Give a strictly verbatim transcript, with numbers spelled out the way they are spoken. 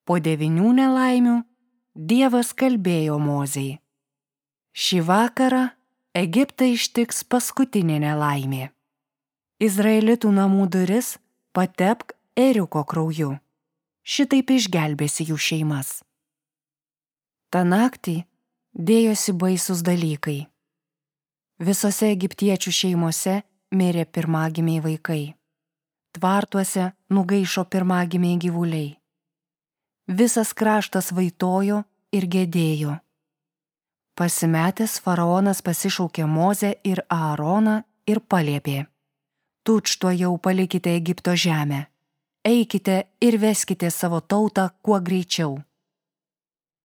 Po devynių nelaimių Dievas kalbėjo Mozei: šį vakarą Egiptą ištiks paskutinė nelaimė. Izraelitų namų duris patepk ėriuko krauju. Šitaip išgelbėsi jų šeimas. Ta naktį dėjosi baisūs dalykai. Visose egiptiečių šeimose mirė pirmagimiai vaikai. Tvartuose nugaišo pirmagimiai gyvuliai. Visas kraštas vaitojo ir gedėjo. Pasimetęs faraonas pasišaukė Mozę ir Aaroną ir paliepė: tučtuojau palikite Egipto žemę, eikite ir veskite savo tautą kuo greičiau.